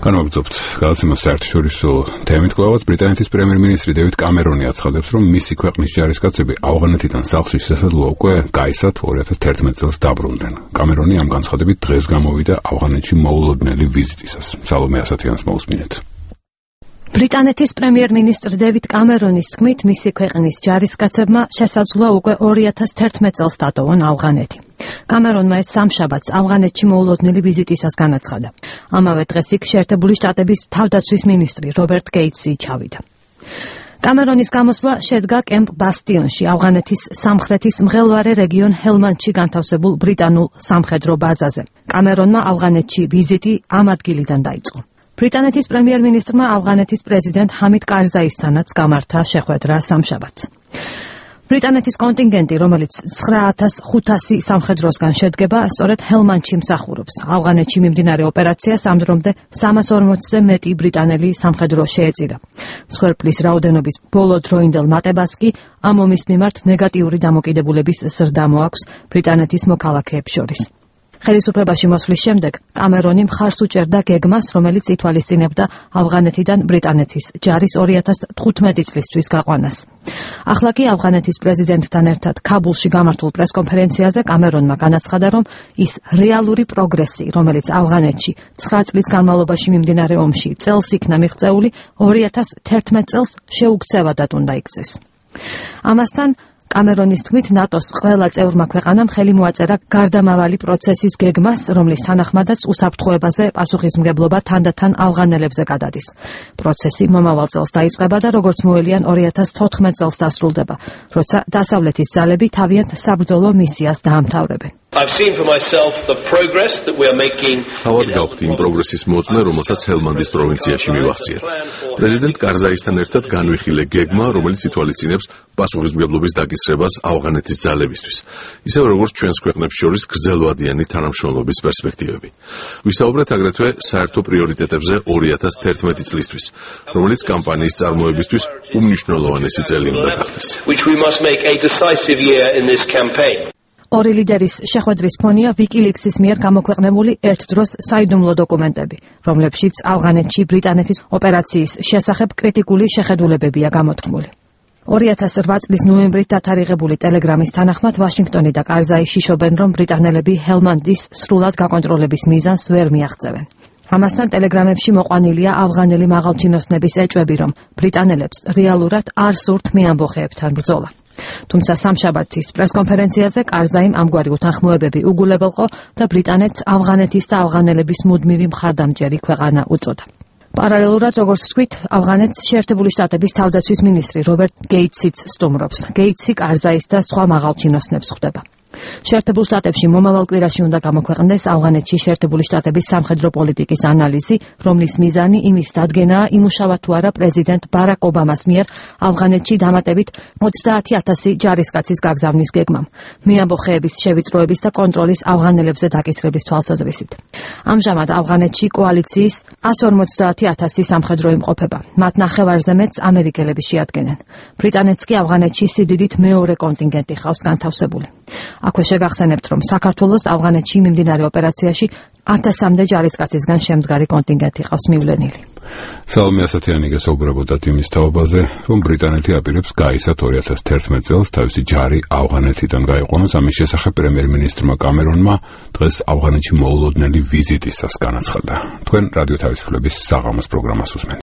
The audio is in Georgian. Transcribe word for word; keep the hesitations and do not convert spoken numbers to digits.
განვაგრძობთ გადაცემას საერთაშორისო თემით. კვლავაც ბრიტანეთის პრემიერ-მინისტრი დევიდ კამერონი აცხადებს, რომ მისი ქვეყნის ჯარისკაცები ავღანეთიდან სახლში შესაძლოა უკვე გაისად ორი ათას თერთმეტ წელს დაბრუნდნენ. კამერონი ამ განცხადებით დღეს გამოვიდა ავღანეთში მოულოდნელი ვიზიტისას. სალომე ასათიანს მოусმინეთ. ბრიტანეთის პრემიერ-მინისტრი დევიდ კამერონის თქმით, მისი ქვეყნის ჯარისკაცებმა შესაძლოა უკვე ორი ათას თერთმეტ წელს დატოვონ ავღანეთი. კამერონმა ეს სამშაბათს ავღანეთში მოულოდნელი ვიზიტისას განაცხადა. ამავე დღეს იქ შეერთებული შტატების თავდაცვის მინისტრი რობერტ გეიტსი ჩავიდა. კამერონის გამოსვლა შედგა კემპ ბასტიონში, ავღანეთის სამხრეთის მღელვარე რეგიონ ჰელმანდში განთავსებულ ბრიტანულ სამხედრო ბაზაზე. კამერონმა ავღანეთში ვიზიტი ამ ადგილიდან დაიწყო. ბრიტანეთის პრემიერ-მინისტრმა ავღანეთის პრეზიდენტ ჰამიდ კარზაისთანაც გამართა შეხვედრა სამშაბათს. ბრიტანეთის კონტინგენტი, რომელიც ცხრა ათას ხუთასი სამხედროსგან შედგება, სწორედ ჰელმანდში მსახურობს. ავღანეთში მიმდინარე ოპერაციას ამ დრომდე სამას ორმოცზე მეტი ბრიტანელი სამხედრო შეეწირა. მსხვერპლის რაოდენობის ბოლო დროინდელ მატებას კი ამ ომის მიმართ ნეგატიური დამოკიდებულების ზრდა მოაქვს ბრიტანეთის მოქალაქეებს შორის. ხელისუფლებაში მოსვლის შემდეგ კამერონი მხარს უჭერდა გეგმას, რომელიც ითვალისწინებდა ავღანეთიდან ბრიტანეთის ჯარის ორი ათას თხუთმეტი წლისთვის გაყვანას. ახლა კი ავღანეთის პრეზიდენტთან ერთად ქაბულში გამართულ პრესკონფერენციაზე კამერონმა განაცხადა, რომ ის რეალური პროგრესი, რომელიც ავღანეთში ცხრა წლის განმავლობაში მიმდინარე ომში წელს იქნა მიღწეული, ორი ათას თერთმეტ წელს შეუქცევადად უნდა იქცეს. ამასთან კამერონის თქმით, ნატოს ყველა წევრმა ქვეყანამ ხელი მოაწერა გარდამავალი პროცესის გეგმას, რომლის თანახმადაც უსაფრთხოებაზე პასუხისმგებლობა თანდათან ავღანელებზე გადადის. პროცესი მომავალ წელს დაიწყება და როგორც მოელიან ორი ათას თოთხმეტ წელს დასრულდება, როცა დასავლეთის ძალები თავიანთ საბრძოლო მისიას დაამთავრებენ. თავად გავხდი იმ პროგრესის მოწმე, რომელსაც ჰელმანდის პროვინციაში მივახციეთ. პრეზიდენტ კარზაისთან ერთად განვიხილე გეგმა, რომელიც ითვალისწინებს პასუხისმგებლობის დაკისრებას ავღანეთის ძალებისთვის, ისევ როგორც ჩვენს ქვეყნებს შორის გრძელვადიანი თანამშრომლობის პერსპექტივები. ვისაუბრეთ აგრეთვე საერთო პრიორიტეტებზე ორი ათას თერთმეტი წლისთვის, რომელიც კამპანიის წარმოებისთვის უმნიშვნელოვანესი წელი უნდა გახდეს. ორი ლიდერის შეხვედრის ფონია ვიკილიქსის მიერ გამოქვეყნებული ერთდროს საიდუმლო დოკუმენტები, რომლებშიც ავღანეთში ბრიტანეთის ოპერაციის შესახებ კრიტიკული შეხედულებებია გამოთქმული. ორი ათას რვა წლის ნოემბრით დათარიღებული ტელეგრამის თანახმად ვაშინგტონი და კარზაი შიშობენ, რომ ბრიტანელები ჰელმანდის სრულად გაკონტროლების მიზანს ვერ მიაღწევენ. ამასთან ტელეგრამებში მოყვანილია ავღანელი მაღალჩინოსნების ეჭვები, რომ ბრიტანელებს რეალურად არ სურთ მეამბოხეებთან ბრძოლა. თუმცა სამშაბათის პრესკონფერენციაზე კარზაიმ ამგვარი უთანხმოებები უგულებელყო და ბრიტანეთს ავღანეთის და ავღანელების მუდმივი მხარდამჭერი ქვეყანა უწოდა. პარალელურად, როგორც თქვით, ავღანეთს შეერთებული შტატების თავდაცვის მინისტრი რობერტ გეიტსიც სტუმრობს. გეიტსი კარზაის და სხვა მაღალჩინოსნებს ხვდება. შეერთებულ შტატებში მომავალ კვირაში უნდა გამოქვეყნდეს ავღანეთში შეერთებული შტატების სამხედრო პოლიტიკის ანალიზი, რომლის მიზანი იმის დადგენაა, იმუშავა თუ არა პრეზიდენტ ბარაკ ობამას მიერ ავღანეთში დამატებით ოცდაათი ათასი ჯარისკაცის გაგზავნის გეგმამ, მეამბოხეების შევიწროების და კონტროლის ავღანელებზე დაკისრების თვალსაზრისით. ამჟამად ავღანეთში კოალიციის ასი ორმოცდაათი ათასი სამხედრო იმყოფება. მათ ნახევარზე მეტს ამერიკელები შეადგენენ. ბრიტანეთს კი ავღანეთში სიდიდით მეორე კონტინგენტი ხავს განთავსებული. აქვე შეგახსენებთ, რომ საქართველოს ავღანეთში მიმდინარე ოპერაციაში ათასამდე ჯარისკაცისგან შემდგარი კონტინგენტი ყავს მივლენილი. სალომე ასათიანი გესაუბრებოდა იმის თაობაზე, რომ ბრიტანეთი აპირებს გაისად ორი ათას თერთმეტ წელს თავისი ჯარი ავღანეთიდან გაიყვანოს. ამის შესახებ პრემიერ-მინისტრმა კამერონმა დღეს ავღანეთში მოულოდნელი ვიზიტისას განაცხადა. თქვენ რადიო თავისუფლების საღამოს პროგრამას უსმენთ.